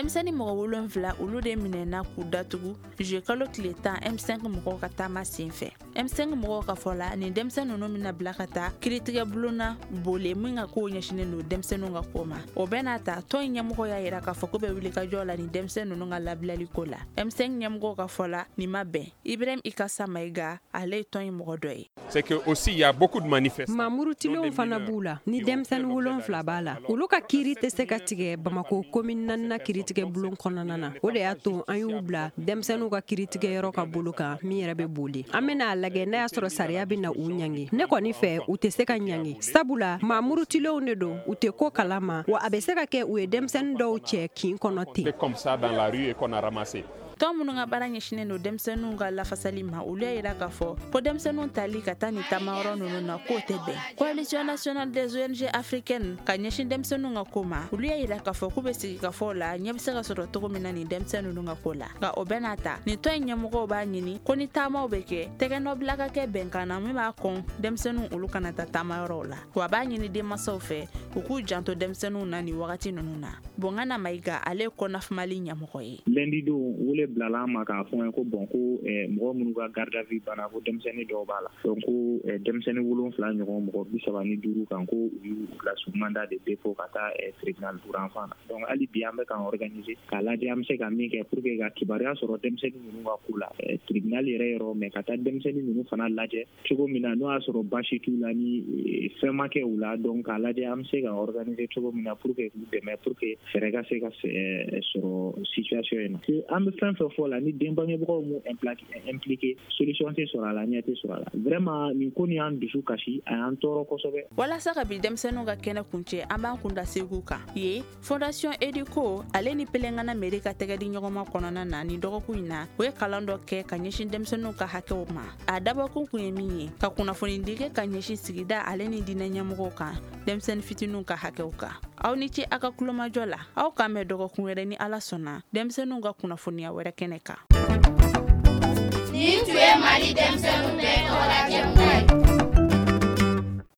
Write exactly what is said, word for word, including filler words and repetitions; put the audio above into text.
Denmisɛnnin mɔgɔ wolonfila, olu de minɛna k'u datugu juillet kalo tile tan M cinq mɔgɔw ka taama sen fɛ. M cinq mɔgɔw ka fɔ la, nin denmisɛn ninnu bɛna bila ka taa kiiritigɛ bulon na Bole, min ka kow ɲɛsinnen don denmisɛnninw ka ko ma. O bɛɛ n'a ta, tɔn in ɲɛmɔgɔ y'a yira k'a fɔ ko bɛ wuli ka jɔ la nin denmisɛn ninnu ka labilali ko la. M cinq ɲɛmɔgɔw ka fɔ la, nin ma bɛn. Ibrahim Ikasa Mayiga, ale ye tɔn in mɔgɔ dɔ ye. C'est que aussi il y a beaucoup de manifestants. Maa murutilenw fana b'u la ni denmisɛnnin wolonfila b'a la. Olu ka kiiri tɛ se ka tigɛ Bamako commune naanina kiiritigɛ bulon kɔnɔna na. O de y'a to an y'u bila denmisɛnninw ka kiiritigɛyɔrɔ ka bolo kan, min yɛrɛ bɛ Boli. An bɛna a lajɛ n'a y'a sɔrɔ sariya bɛ na u ɲangi. Ne kɔni fɛ, u tɛ se ka ɲangi, sabula maa murutilenw de don, u tɛ ko kalama wa. A bɛ se ka kɛ u ye denmisɛnnin dɔw cɛ kin kɔnɔ ten. Comme ça dans la rue et qu'on a ramassé. Tɔn minnu ka baara ɲɛsinnen don denmisɛnninw ka lafasali ma, olu y'a yira k'a fɔ ko denmisɛnninw tali ka taa nin taamayɔrɔ ninnu na, k'o tɛ bɛn. Coalition nationale des O N G africaines ka ɲɛsin denmisɛnninw ka ko ma, olu y'a yira k'a fɔ k'u bɛ sigi ka fɔ la, ɲɛ bɛ se ka sɔrɔ cogo min na nin denmisɛnnin ninnu ka ko la. Nka o bɛɛ n'a ta, nin tɔn in ɲɛmɔgɔw b'a ɲini ko ni taamaw bɛ kɛ, tɛgɛnɔbila ka kɛ bɛnkan na min b'a kɔn denmisɛnninw olu kana taa taamayɔrɔw la. Wa a b'a ɲini denmansaw fɛ, u k'u janto denmisɛnninw na nin wagati ninnu na. Bongana Mayiga, ale ye CONAF Mali ɲɛmɔgɔ ye. Lundi don, wele bilala an ma k'a fɔ an ye ko bon, ko mɔgɔ minnu ka garde à vue banna, ko denmisɛnnin dɔw b'a la. Donc ko denmisɛnnin wolonfila ɲɔgɔn, mɔgɔ bi saba ni duuru kan, ko u y'u bila sous mandat de dépôt ka taa tribunal pour enfants na. Donc hali bi, an bɛ k'an organiser k'a lajɛ an bɛ se ka min kɛ pour que ka kibaruya sɔrɔ denmisɛnnin ninnu ka ko la tribunal yɛrɛ yɔrɔ, mais ka taa denmisɛnnin ninnu fana lajɛ cogo min na n'o y'a sɔrɔ baasi t'u la, ni fɛn ma kɛ u la. Donc k'a lajɛ an bɛ se ka organiser cogo min na pour que k'u dɛmɛ, pour que fɛɛrɛ ka se ka sɔrɔ situation in na. An bɛ fɛn fɛn fɔ la, ni den bangebagaw m'u impliqué, solution tɛ sɔrɔ a la, ɲɛ tɛ sɔrɔ a la. Vraiment, nin ko nin y'an dusu kasi, a y'an tɔɔrɔ kosɛbɛ. Walasa ka bi denmisɛnninw ka kɛnɛ kuncɛ, an b'an kun da Segu kan. Ye Fondation Educo ale ni Pelengana mairie ka tɛgɛ di ɲɔgɔnma kɔnɔna na, nin dɔgɔkun in na, u ye kalan dɔ kɛ ka ɲɛsin denmisɛnninw ka hakɛw ma. A dabɔkun kun ye min ye, ka kunnafoni di kɛ ka ɲɛsin sigida ale ni diinɛ ɲɛmɔgɔw kan denmisɛnnin fitininw ka hakɛw kan. Aw ni ce a ka kulomajɔ la. Aw k'an bɛn dɔgɔkun wɛrɛ, ni Ala sɔnna, denmisɛnninw ka kunnafoniya wɛrɛ kɛnɛ kan. Nin tun ye Mali denmisɛnninw bɛɛ tɔgɔla jɛmukan.